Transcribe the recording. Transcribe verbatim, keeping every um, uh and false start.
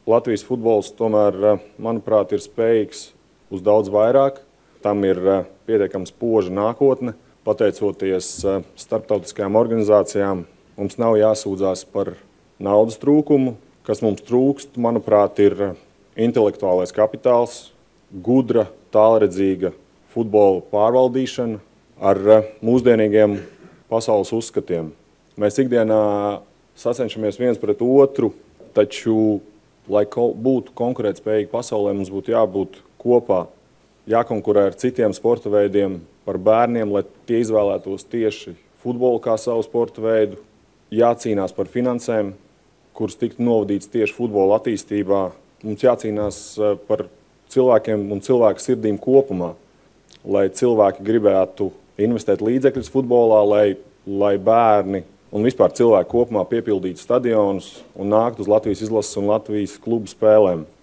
Latvijas futbols tomēr, manuprāt, ir spējīgs uz daudz vairāk. Tam ir pietiekami spoža nākotne. Pateicoties starptautiskajām organizācijām, mums nav jāsūdzās par naudas trūkumu. Kas mums trūkst, manuprāt, ir intelektuālais kapitāls, gudra, tālredzīga futbola pārvaldīšana ar mūsdienīgiem pasaules uzskatiem. Mēs ikdienā sacenšamies viens pret otru, taču, lai būtu konkurētspējīgi pasaulē, mums būtu jābūt kopā, jākonkurē ar citiem sporta veidiem par bērniem, lai tie izvēlētos tieši futbolu kā savu sporta veidu, jācīnās par finansēm, kuras tiktu novadīts tieši futbola attīstībā. Mums jācīnās par cilvēkiem un cilvēku sirdīm kopumā, lai cilvēki gribētu investēt līdzekļus futbolā, lai, lai bērni un vispār cilvēki kopumā piepildītu stadionus un nāktu uz Latvijas izlases un Latvijas klubu spēlēm.